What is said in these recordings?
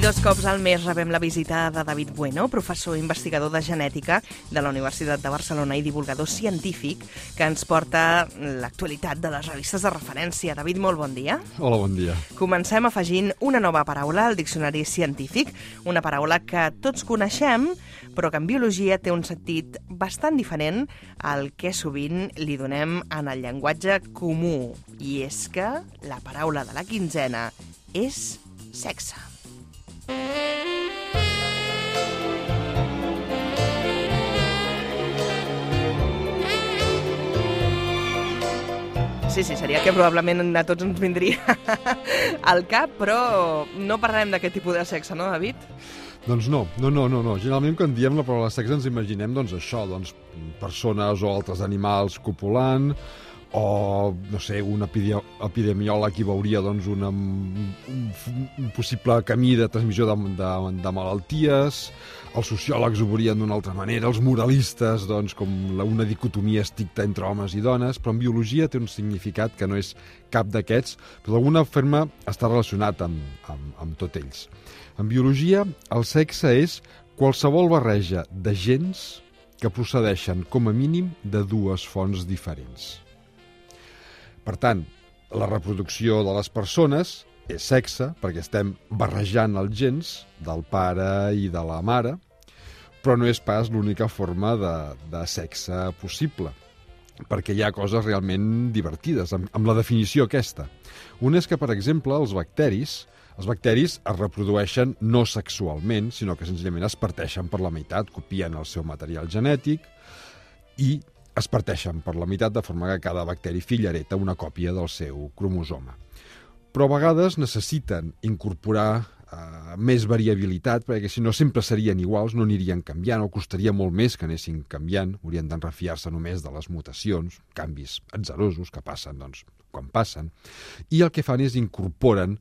2 cops al mes rebem la visita de David Bueno, professor investigador de genètica de la Universitat de Barcelona i divulgador científic, que ens porta l'actualitat de les revistes de referència. David, molt bon dia. Hola, bon dia. Comencem afegint una nova paraula al diccionari científic, una paraula que tots coneixem, però que en biologia té un sentit bastant diferent al que sovint li donem en el llenguatge comú. I és que la paraula de la quinzena és sexe. Sí, seria que probablement a tots ens vindria al cap, però no parlarem d'aquest tipus de sexe, no, David? Doncs no. Generalment quan diem la paraula sexe ens imaginem això, persones o altres animals copulant, o, no sé, un epidemiòleg hi veuria un possible camí de transmissió de malalties, els sociòlegs ho veurien d'una altra manera, els moralistes, com una dicotomia estricta entre homes i dones, però en biologia té un significat que no és cap d'aquests, però d'alguna forma està relacionat amb tots ells. En biologia, el sexe és qualsevol barreja de gens que procedeixen, com a mínim, de dues fonts diferents. Per tant, la reproducció de les persones és sexe, perquè estem barrejant els gens del pare i de la mare, però no és pas l'única forma de sexe possible, perquè hi ha coses realment divertides, amb la definició aquesta. Una és que, per exemple, els bacteris es reprodueixen no sexualment, sinó que senzillament es parteixen per la meitat, copien el seu material genètic i es parteixen per la meitat, de forma que cada bacteri fill hereta una còpia del seu cromosoma. Però a vegades necessiten incorporar més variabilitat, perquè si no sempre serien iguals, no anirien canviant, o costaria molt més que anessin canviant, haurien d'enrefiar-se només de les mutacions, canvis atzarosos que passen quan passen, i el que fan és incorporen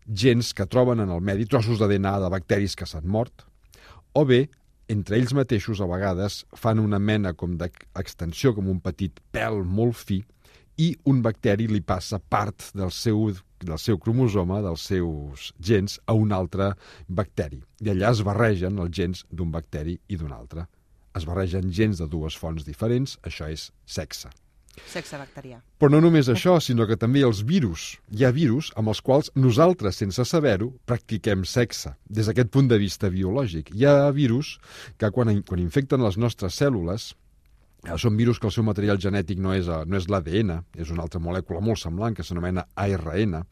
gens que troben en el medi, trossos d'ADN de bacteris que s'han mort, o bé, entre ells mateixos, a vegades, fan una mena com d'extensió, com un petit pèl molt fi, i un bacteri li passa part del seu cromosoma, dels seus gens, a un altre bacteri. I allà es barregen els gens d'un bacteri i d'un altre. Es barregen gens de dues fonts diferents, això és sexe. Sexe bacterià. Però no només això, sinó que també els virus. Hi ha virus amb els quals nosaltres, sense saber-ho, practiquem sexe, des d'aquest punt de vista biològic. Hi ha virus que quan infecten les nostres cèl·lules, són virus que el seu material genètic no és l'ADN, és una altra molècula molt semblant que s'anomena ARN,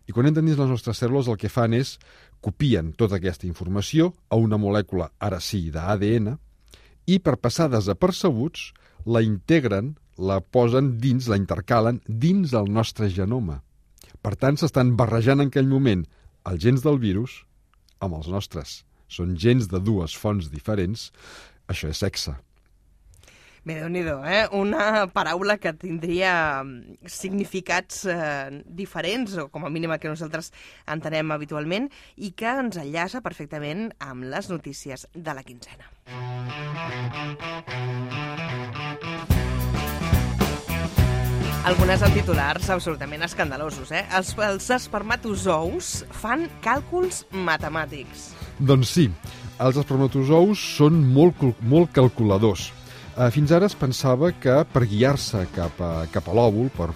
i quan entren dins les nostres cèl·lules el que fan és copien tota aquesta informació a una molècula, ara sí, d'ADN, i per passar desapercebuts la integren, la posen dins, la intercalen dins el nostre genoma. Per tant, s'estan barrejant en aquell moment els gens del virus amb els nostres. Són gens de dues fonts diferents. Això és sexe. Bé, Déu-n'hi-do, una paraula que tindria significats diferents, o com a mínim que nosaltres entenem habitualment, i que ens enllaça perfectament amb les notícies de la quinzena. Algunes amb titulars absolutament escandalosos. Els espermatozous fan càlculs matemàtics. Doncs sí, els espermatozous són molt calculadors. Fins ara es pensava que per guiar-se cap a l'òvul, per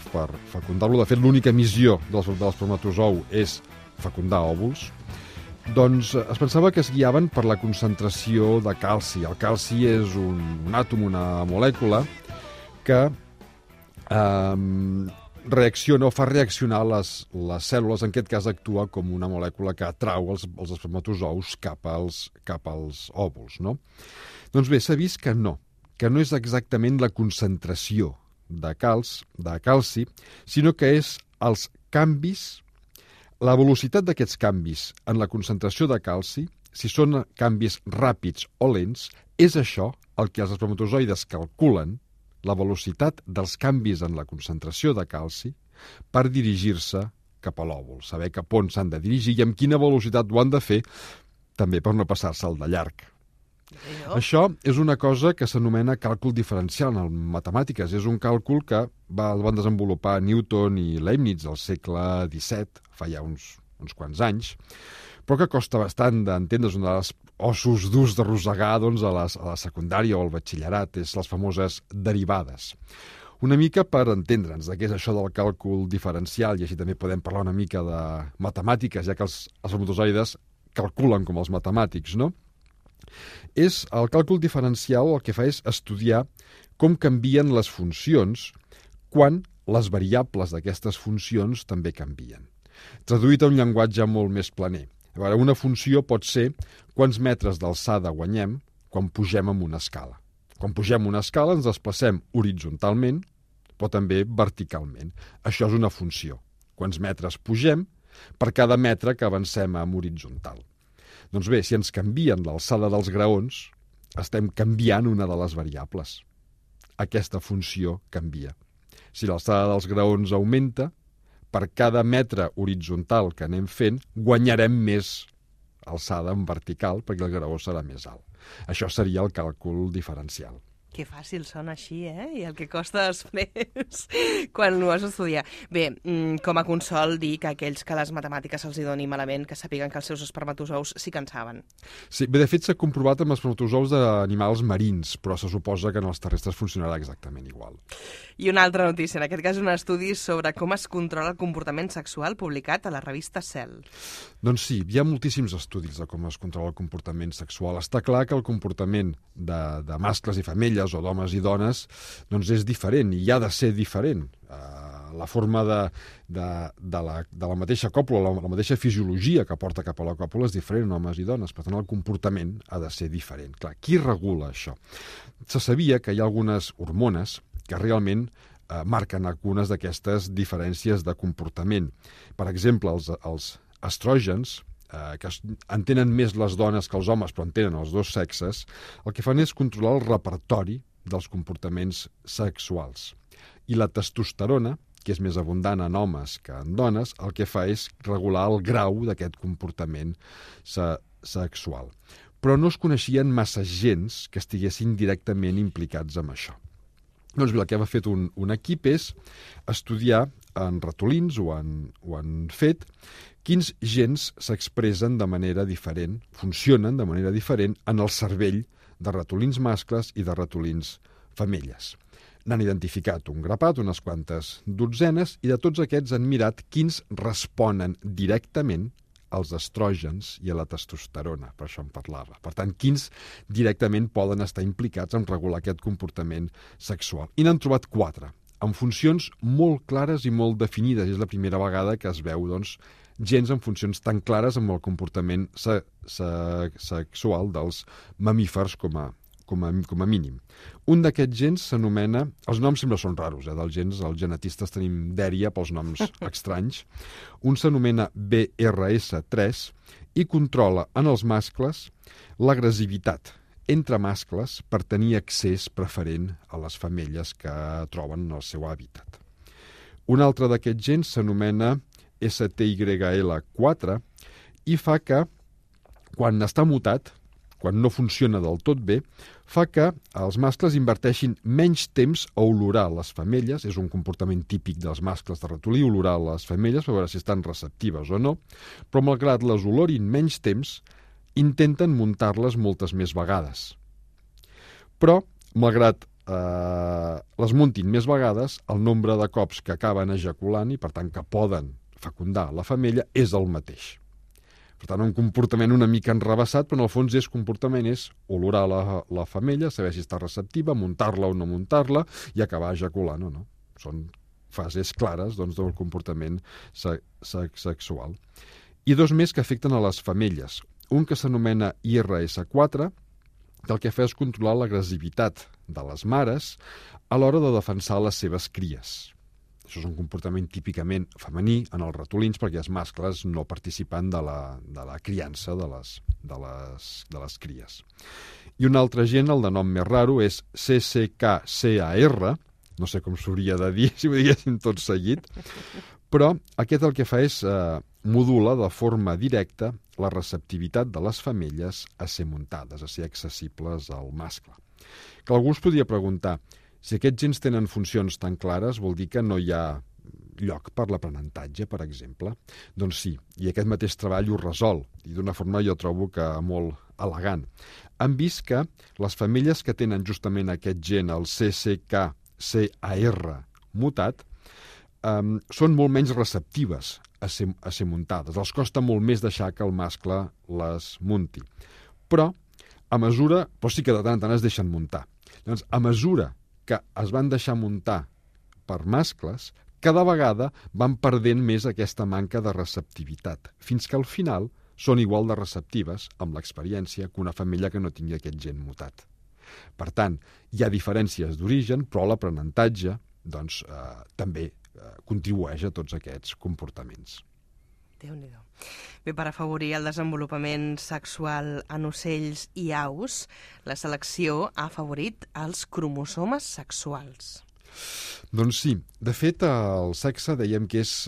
fecundar-lo, de fet l'única missió de l'espermatozou és fecundar òvuls, doncs es pensava que es guiaven per la concentració de calci. El calci és un àtom, una molècula que fa reaccionar les cèl·lules, en aquest cas actua com una molècula que atrau els espermatozous cap als òvuls, no? Doncs bé, s'ha vist que no és exactament la concentració de calci, sinó que és els canvis, la velocitat d'aquests canvis en la concentració de calci, si són canvis ràpids o lents, és això el que els espermatozoides calculen, la velocitat dels canvis en la concentració de calci per dirigir-se cap a l'òvul, saber cap on s'han de dirigir i amb quina velocitat ho han de fer, també per no passar-se'l de llarg. Això és una cosa que s'anomena càlcul diferencial en matemàtiques. És un càlcul que van desenvolupar Newton i Leibniz al segle XVII, fa ja uns quants anys, però que costa bastant d'entendre. És un dels ossos durs d'arrossegar doncs, a la secundària o al batxillerat, és les famoses derivades. Una mica per entendre'ns de què és això del càlcul diferencial, i així també podem parlar una mica de matemàtiques, ja que els espermatozoides calculen com els matemàtics, no? El càlcul diferencial el que fa és estudiar com canvien les funcions quan les variables d'aquestes funcions també canvien. Traduït a un llenguatge molt més planer. A veure, una funció pot ser quants metres d'alçada guanyem quan pugem amb una escala. Quan pugem una escala ens desplacem horitzontalment, però també verticalment. Això és una funció. Quants metres pugem per cada metre que avancem amb horitzontal. Doncs bé, si ens canvien l'alçada dels graons, estem canviant una de les variables. Aquesta funció canvia. Si l'alçada dels graons augmenta, per cada metre horitzontal que anem fent, guanyarem més alçada en vertical perquè el graó serà més alt. Això seria el càlcul diferencial. Que fàcil sona així, I el que costa després quan ho has d'estudiar. Bé, com a consol dir que aquells que les matemàtiques se'ls doni malament, que sàpiguen que els seus espermatozous sí que en saben. Sí, bé, de fet s'ha comprovat amb espermatozous d'animals marins, però se suposa que en els terrestres funcionarà exactament igual. I una altra notícia, en aquest cas un estudi sobre com es controla el comportament sexual publicat a la revista Cell. Doncs sí, hi ha moltíssims estudis de com es controla el comportament sexual. Està clar que el comportament de mascles i femelles o d'homes i dones doncs és diferent i ha de ser diferent. La forma de la mateixa còpula, la mateixa fisiologia que porta cap a la còpula és diferent en homes i dones, per tant el comportament ha de ser diferent. Clar, qui regula això? Se sabia que hi ha algunes hormones que realment marquen algunes d'aquestes diferències de comportament. Per exemple, els estrògens, que en tenen més les dones que els homes, però en tenen els dos sexes, el que fan és controlar el repertori dels comportaments sexuals. I la testosterona, que és més abundant en homes que en dones, el que fa és regular el grau d'aquest comportament sexual. Però no es coneixien massa gens que estiguessin directament implicats en això. Doncs bé, el que ha fet un equip és estudiar en ratolins o en fet quins gens s'expressen de manera diferent, funcionen de manera diferent en el cervell de ratolins mascles i de ratolins femelles. N'han identificat un grapat, unes quantes dotzenes, i de tots aquests han mirat quins responen directament als estrògens i a la testosterona, per això en parlava. Per tant, quins directament poden estar implicats en regular aquest comportament sexual. I n'han trobat 4, amb funcions molt clares i molt definides. És la primera vegada que es veu, doncs, gens amb funcions tan clares amb el comportament sexual dels mamífers com a mínim. Un d'aquests gens s'anomena... Els noms sempre són raros, dels gens. Els genetistes tenim dèria pels noms estranys. Un s'anomena BRS3 i controla en els mascles l'agressivitat entre mascles per tenir accés preferent a les femelles que troben en el seu hàbitat. Un altre d'aquests gens s'anomena STYL4 i fa que, quan està mutat, quan no funciona del tot bé, fa que els mascles inverteixin menys temps a olorar les femelles, és un comportament típic dels mascles de ratolí, olorar les femelles per veure si estan receptives o no, però malgrat les olorin menys temps, intenten muntar-les moltes més vegades. Però, malgrat les muntin més vegades, el nombre de cops que acaben ejaculant i, per tant, que poden fecundar la femella és el mateix. Per tant, un comportament una mica enrevessat, però en el fons comportament és olorar la femella, saber si està receptiva, muntar-la o no muntar-la i acabar ejaculant o no. Són fases clares doncs, del comportament sexual. I dos més que afecten a les femelles. Un que s'anomena IRS4, que el que fa és controlar l'agressivitat de les mares a l'hora de defensar les seves cries. Això és un comportament típicament femení en els ratolins perquè els mascles no participen de la criança de les cries. I un altre gen, el de nom més raro, és CCKCAR, no sé com s'hauria de dir si ho diguéssim tot seguit, però aquest el que fa és modula de forma directa la receptivitat de les femelles a ser muntades, a ser accessibles al mascle. Que algú es podria preguntar, si aquests gens tenen funcions tan clares, vol dir que no hi ha lloc per l'aprenentatge, per exemple? Doncs sí, i aquest mateix treball ho resol, i d'una forma jo trobo que molt elegant. Han vist que les famílies que tenen justament aquest gen, el CCK-CAR mutat, són molt menys receptives a ser muntades. Els costa molt més deixar que el mascle les munti. Però sí que de tant en tant es deixen muntar. Doncs, a mesura que es van deixar muntar per mascles, cada vegada van perdent més aquesta manca de receptivitat, fins que al final són igual de receptives amb l'experiència que una família que no tingui aquest gen mutat. Per tant, hi ha diferències d'origen, però l'aprenentatge també contribueix a tots aquests comportaments. Déu-n'hi-do. Bé, per afavorir el desenvolupament sexual en ocells i aus, la selecció ha afavorit els cromosomes sexuals. Doncs sí. De fet, el sexe dèiem que és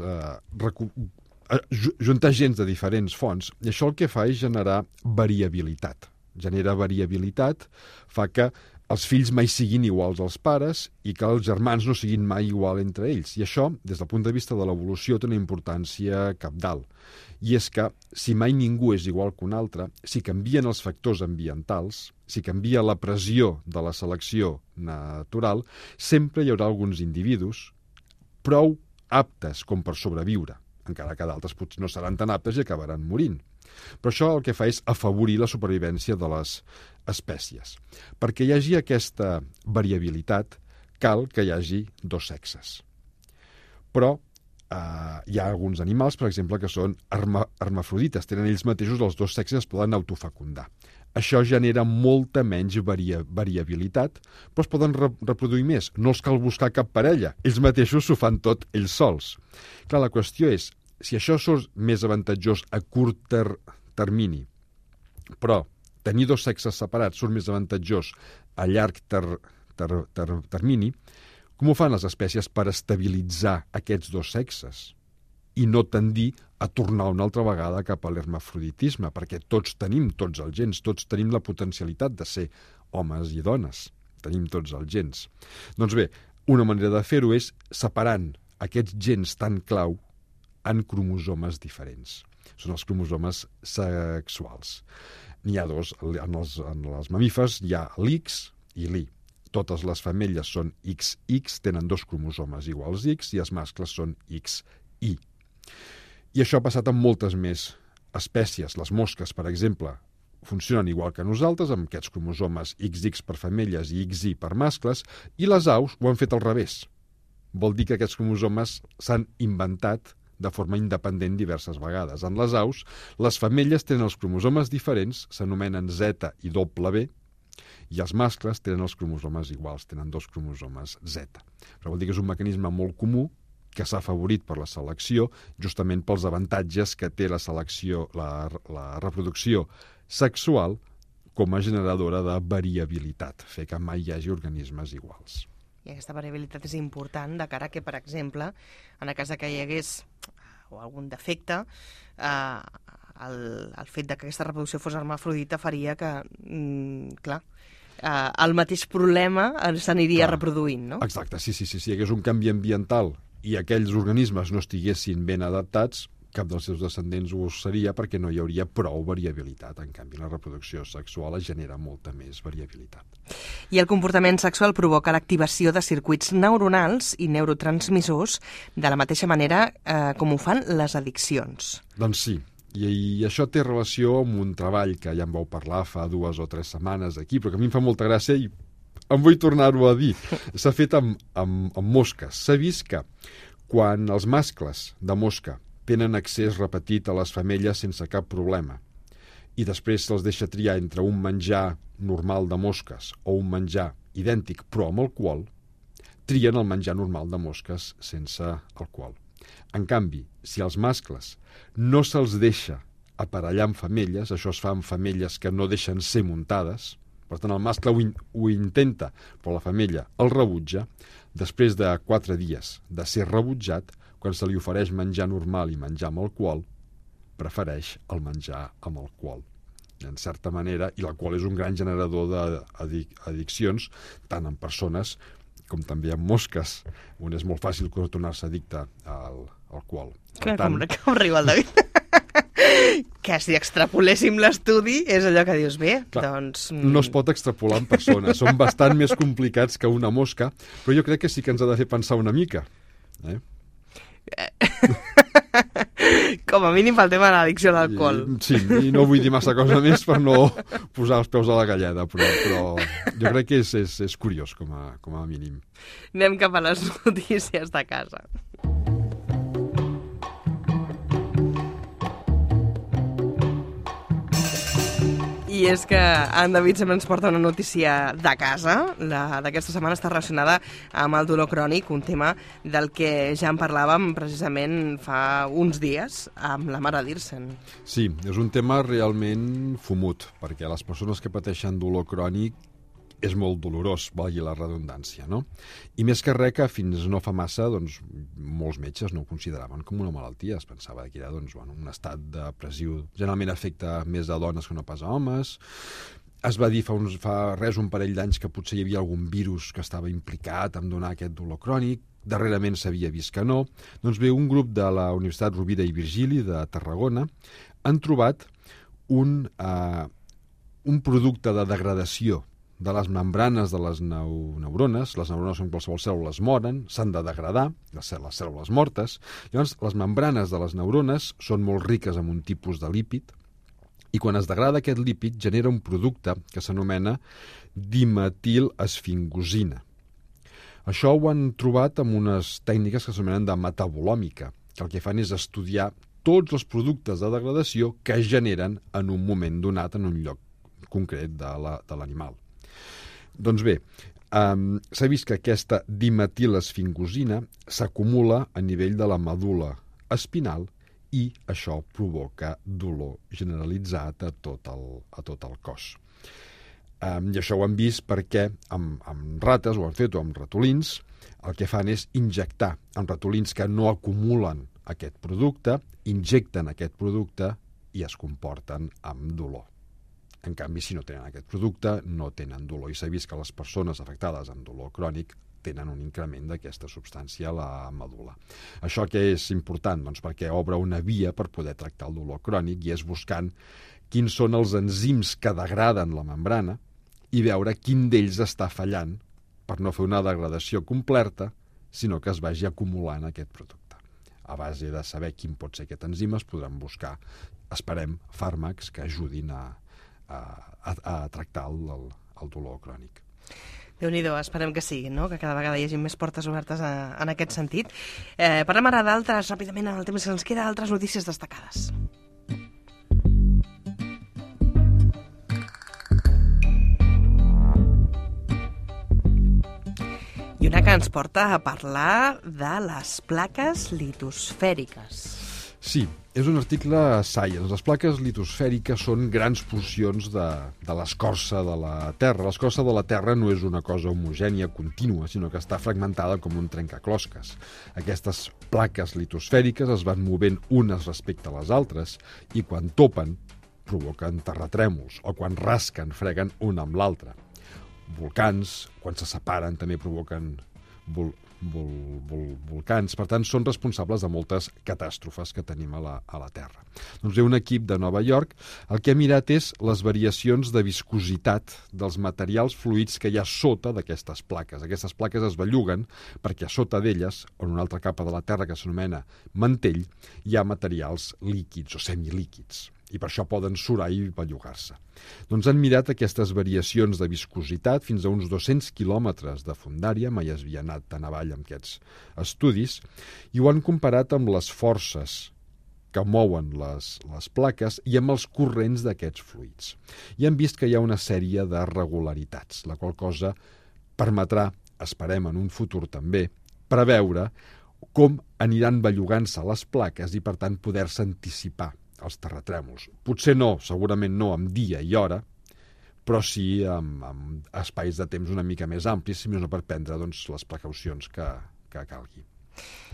juntar gens de diferents fonts, i això el que fa és generar variabilitat. Genera variabilitat, fa que els fills mai siguin iguals als pares i que els germans no siguin mai igual entre ells. I això, des del punt de vista de l'evolució, té una importància cabdal. I és que, si mai ningú és igual que un altre, si canvien els factors ambientals, si canvia la pressió de la selecció natural, sempre hi haurà alguns individus prou aptes com per sobreviure, encara que d'altres potser no seran tan aptes i acabaran morint. Però això el que fa és afavorir la supervivència de les espècies. Perquè hi hagi aquesta variabilitat, cal que hi hagi dos sexes. Però hi ha alguns animals, per exemple, que són hermafrodites, tenen ells mateixos els dos sexes, es poden autofecundar. Això genera molta menys variabilitat, però es poden reproduir més. No els cal buscar cap parella, ells mateixos s'ho fan tot ells sols. Clar, la qüestió és, si això és més avantatjós a curt termini, però tenir dos sexes separats surt més avantatjós a llarg termini, com ho fan les espècies per estabilitzar aquests dos sexes i no tendir a tornar una altra vegada cap a l'hermafroditisme? Perquè tots tenim tots els gens, tots tenim la potencialitat de ser homes i dones, tenim tots els gens. Doncs bé, una manera de fer-ho és separant aquests gens tan clau en cromosomes diferents. Són els cromosomes sexuals. N'hi ha dos. En els mamífers hi ha l'X i l'Y. Totes les femelles són XX, tenen dos cromosomes iguals X, i els mascles són XY. I això ha passat amb moltes més espècies. Les mosques, per exemple, funcionen igual que nosaltres, amb aquests cromosomes XX per femelles i XY per mascles, i les aus ho han fet al revés. Vol dir que aquests cromosomes s'han inventat de forma independent diverses vegades. En les aus, les femelles tenen els cromosomes diferents, s'anomenen Z i W, i els mascles tenen els cromosomes iguals, tenen dos cromosomes Z. Però vol dir que és un mecanisme molt comú que s'ha afavorit per la selecció, justament pels avantatges que té la selecció, la reproducció sexual com a generadora de variabilitat, fer que mai hi hagi organismes iguals. I aquesta variabilitat és important de cara que, per exemple, en el cas que hi hagués algun defecte, el fet que aquesta reproducció fos hermafrodita faria que, el mateix problema s'aniria reproduint, no? Exacte, sí. Si hi hagués un canvi ambiental i aquells organismes no estiguessin ben adaptats, cap dels seus descendents ho seria perquè no hi hauria prou variabilitat. En canvi, la reproducció sexual genera molta més variabilitat. I el comportament sexual provoca l'activació de circuits neuronals i neurotransmissors de la mateixa manera com ho fan les addiccions. Doncs sí, i això té relació amb un treball que ja en vau parlar fa 2 o 3 setmanes aquí, però que a mi em fa molta gràcia i em vull tornar-ho a dir. S'ha fet amb mosques. S'ha vist que quan els mascles de mosca tenen accés repetit a les femelles sense cap problema i després se'ls deixa triar entre un menjar normal de mosques o un menjar idèntic però amb alcohol, trien el menjar normal de mosques sense alcohol. En canvi, si als mascles no se'ls deixa aparellar amb femelles, això es fa amb femelles que no deixen ser muntades, per tant el mascle ho intenta però la femella el rebutja, després de 4 dies de ser rebutjat, quan se li ofereix menjar normal i menjar amb alcohol, prefereix el menjar amb alcohol. En certa manera, i l'alcohol és un gran generador d'addiccions, tant en persones com també amb mosques, on és molt fàcil tornar-se addicte al alcohol. Com riu el David. Que si extrapoléssim l'estudi és allò que dius, bé, clar, doncs... No es pot extrapolar en persones, són bastant més complicats que una mosca, però jo crec que sí que ens ha de fer pensar una mica. Com a mínim pel tema de l'addicció a l'alcohol. Sí, i no vull dir massa cosa més per no posar els peus a la galleda, però jo crec que és curiós com a mínim. Anem cap a les notícies de casa. I és que en David sempre ens porta una notícia de casa. La d'aquesta setmana està relacionada amb el dolor crònic, un tema del que ja en parlàvem precisament fa uns dies amb la mare d'Irsen. Sí, és un tema realment fumut, perquè les persones que pateixen dolor crònic és molt dolorós, valgui la redundància, no? I més que res que fins no fa massa, doncs, molts metges no ho consideraven com una malaltia. Es pensava que era un estat depressiu. Generalment afecta més a dones que no pas a homes. Es va dir fa res un parell d'anys que potser hi havia algun virus que estava implicat en donar aquest dolor crònic. Darrerament s'havia vist que no. Doncs bé, un grup de la Universitat Rovira i Virgili de Tarragona han trobat un producte de degradació de les membranes de les neurones. Les neurones són qualsevol cèl·lules moren, s'han de degradar, les cèl·lules mortes. Llavors, les membranes de les neurones són molt riques en un tipus de lípid, i quan es degrada aquest lípid genera un producte que s'anomena dimetilesfingosina. Això ho han trobat amb unes tècniques que s'anomenen de metabolòmica, que el que fan és estudiar tots els productes de degradació que es generen en un moment donat en un lloc concret de l'animal. Doncs bé, s'ha vist que aquesta dimetilesfingosina s'acumula a nivell de la medul·la espinal i això provoca dolor generalitzat a tot el cos. I això ho han vist perquè amb rates, ho han fet, o amb ratolins, el que fan és injectar amb ratolins que no acumulen aquest producte, injecten aquest producte i es comporten amb dolor. En canvi, si no tenen aquest producte, no tenen dolor. I s'ha vist que les persones afectades amb dolor crònic tenen un increment d'aquesta substància a la medul·la. Això que és important? Doncs perquè obre una via per poder tractar el dolor crònic i és buscant quins són els enzims que degraden la membrana i veure quin d'ells està fallant per no fer una degradació completa, sinó que es vagi acumulant aquest producte. A base de saber quin pot ser aquest enzim es podran buscar, esperem, fàrmacs que ajudin a tractar el dolor crònic. Déu-n'hi-do, esperem que sí, no? Que cada vegada hi hagi més portes obertes en aquest sentit. Parlem ara d'altres, ràpidament, en el temps que ens queda, altres notícies destacades. I una que ens porta a parlar de les plaques litosfèriques. Sí, és un article a Science. Les plaques litosfèriques són grans porcions de l'escorça de la Terra. L'escorça de la Terra no és una cosa homogènia, contínua, sinó que està fragmentada com un trencaclosques. Aquestes plaques litosfèriques es van movent unes respecte a les altres i quan topen provoquen terratrèmols o quan rasquen freguen una amb l'altra. Volcans, quan se separen, també provoquen volcans. Per tant, són responsables de moltes catàstrofes que tenim a la Terra. Doncs ve un equip de Nova York, el que ha mirat és les variacions de viscositat dels materials fluids que hi ha sota d'aquestes plaques. Aquestes plaques es belluguen perquè a sota d'elles, en una altra capa de la Terra que s'anomena mantell, hi ha materials líquids o semilíquids. I per això poden surar i bellugar-se. Doncs han mirat aquestes variacions de viscositat fins a uns 200 quilòmetres de fondària, mai es havia anat tan avall amb aquests estudis, i ho han comparat amb les forces que mouen les plaques i amb els corrents d'aquests fluids. I han vist que hi ha una sèrie de regularitats, la qual cosa permetrà, esperem en un futur també, preveure com aniran bellugant-se les plaques i per tant poder-se anticipar els terratrèmols. Potser no, segurament no amb dia i hora, però sí amb espais de temps una mica més amplis, si més no per prendre les precaucions que calgui.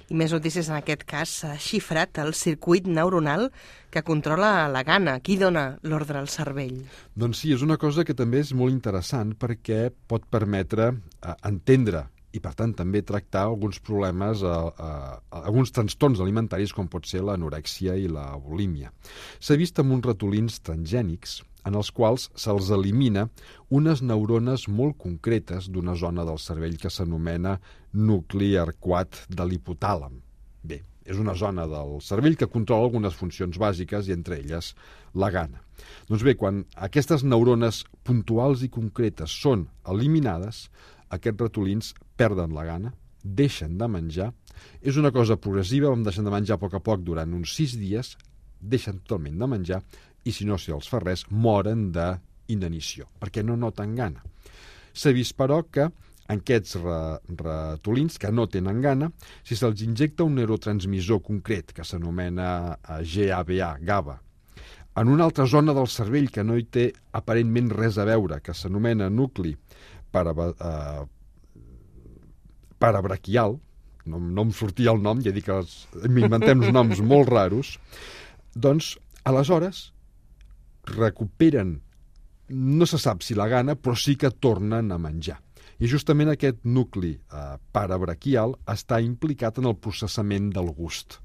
I més notícies en aquest cas. S'ha xifrat el circuit neuronal que controla la gana. Qui dona l'ordre al cervell? Doncs sí, és una cosa que també és molt interessant perquè pot permetre entendre i, per tant, també tractar alguns problemes, alguns trastorns alimentaris, com pot ser l'anorèxia i la bulímia. S'ha vist amb uns ratolins transgènics en els quals se'ls elimina unes neurones molt concretes d'una zona del cervell que s'anomena nucli arcuat de l'hipotàlam. Bé, és una zona del cervell que controla algunes funcions bàsiques i entre elles la gana. Doncs bé, quan aquestes neurones puntuals i concretes són eliminades, aquests ratolins perden la gana, deixen de menjar. És una cosa progressiva, vam deixar de menjar a poc durant uns 6 dies, deixen totalment de menjar i, si no els fa res, moren d'inanició, perquè no noten gana. S'ha vist, però, que en aquests ratolins que no tenen gana, si se'ls injecta un neurotransmissor concret que s'anomena GABA, en una altra zona del cervell que no hi té aparentment res a veure, que s'anomena nucli parabraquial, no em sortia el nom, ja dic que m'inventem uns noms molt raros, doncs aleshores recuperen, no se sap si la gana, però sí que tornen a menjar. I justament aquest nucli parabraquial està implicat en el processament del gust.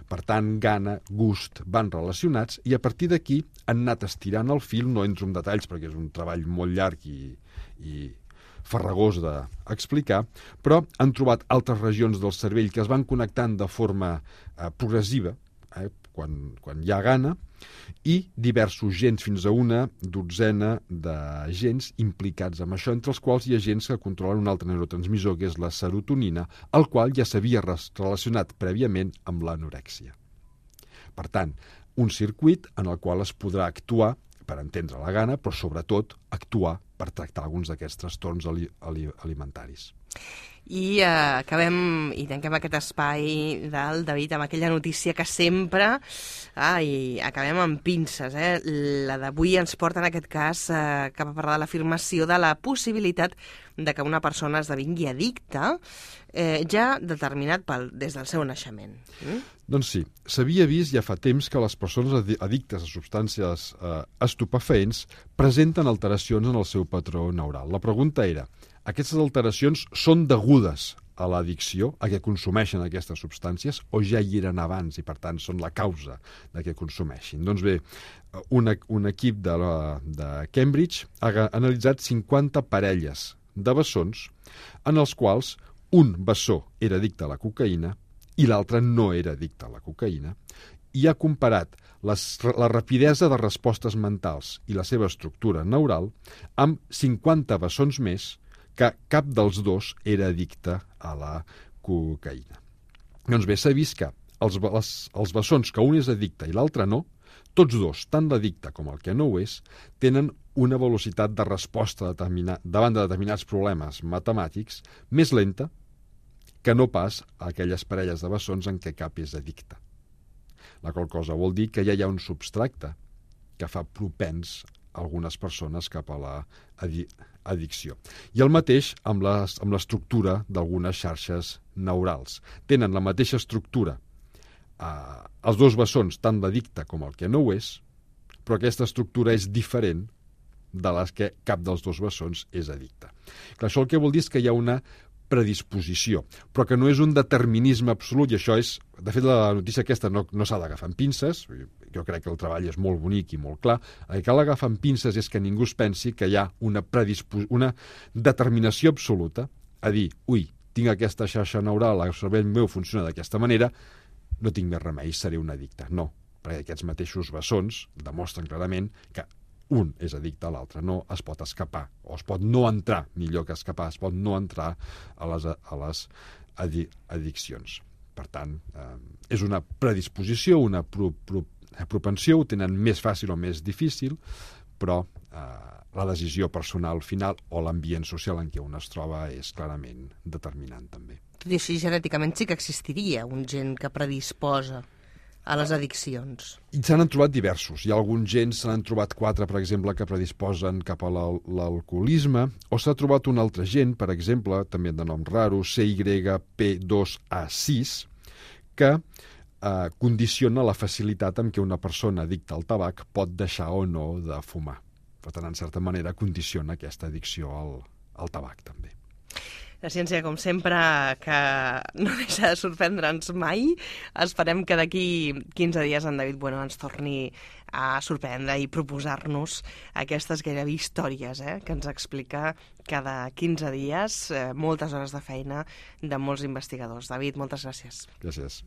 Per tant, gana, gust van relacionats i a partir d'aquí han anat estirant el fil, no entro en detalls perquè és un treball molt llarg i farragós d'explicar, però han trobat altres regions del cervell que es van connectant de forma progressiva, quan hi ha gana, i diversos gens, fins a una dotzena de gens implicats amb això, entre els quals hi ha gens que controlen un altre neurotransmissor, que és la serotonina, el qual ja s'havia relacionat prèviament amb l'anorèxia. Per tant, un circuit en el qual es podrà actuar per entendre la gana, però sobretot actuar per tractar alguns d'aquests trastorns alimentaris. I acabem i tanquem aquest espai del David amb aquella notícia que sempre i acabem amb pinces. La d'avui ens porta en aquest cas cap a parlar de l'afirmació de la possibilitat de que una persona esdevingui addicta ja determinat des del seu naixement. Doncs sí, s'havia vist ja fa temps que les persones addictes a substàncies estupefaents presenten alteracions en el seu patró neural. La pregunta era: aquestes alteracions són degudes a l'addicció, a què consumeixen aquestes substàncies, o ja hi eren abans i, per tant, són la causa de què consumeixin? Doncs bé, un equip de Cambridge ha analitzat 50 parelles de bessons en els quals un bessó era addicte a la cocaïna i l'altre no era addicte a la cocaïna, i ha comparat la rapidesa de respostes mentals i la seva estructura neural amb 50 bessons més que cap dels dos era addicte a la cocaïna. Doncs bé, s'ha vist que els bessons que un és addicte i l'altre no, tots dos, tant l'addicte com el que no ho és, tenen una velocitat de resposta davant de determinats problemes matemàtics més lenta que no pas a aquelles parelles de bessons en què cap és addicte. La qual cosa vol dir que ja hi ha un substracte que fa propens algunes persones cap a l'addicció. I el mateix amb l'estructura d'algunes xarxes neurals. Tenen la mateixa estructura els dos bessons, tant l'addicte com el que no ho és, però aquesta estructura és diferent de les que cap dels dos bessons és addicte. Clar, això el que vol dir és que hi ha una predisposició, però que no és un determinisme absolut, i això és, de fet, la notícia aquesta no s'ha d'agafar amb pinces, jo crec que el treball és molt bonic i molt clar, el que cal agafar amb pinces és que ningú es pensi que hi ha una determinació absoluta a dir, ui, tinc aquesta xarxa neural, el cervell meu funciona d'aquesta manera, no tinc més remei, seré un addicte. No, perquè aquests mateixos bessons demostren clarament que un és addicte a l'altre, no es pot escapar, o es pot no entrar, millor que escapar, es pot no entrar a les addiccions. Per tant, és una predisposició, una propensió, ho tenen més fàcil o més difícil, però la decisió personal final o l'ambient social en què un es troba és clarament determinant també. Tot i així, genèticament sí que existiria un gen que predisposa a les addiccions. I se n'han trobat diversos. Hi ha alguns gens, se n'han trobat 4, per exemple, que predisposen cap a l'alcoholisme, o s'ha trobat un altre gen, per exemple, també de nom raro, CYP2A6, que condiciona la facilitat amb què una persona addicta al tabac pot deixar o no de fumar. Per tant, en certa manera, condiciona aquesta addicció al tabac, també. La ciència, com sempre, que no deixa de sorprendre'ns mai. Esperem que d'aquí 15 dies en David Bueno ens torni a sorprendre i proposar-nos aquestes gairebé històries que ens explica cada 15 dies, moltes hores de feina de molts investigadors. David, moltes gràcies. Gràcies.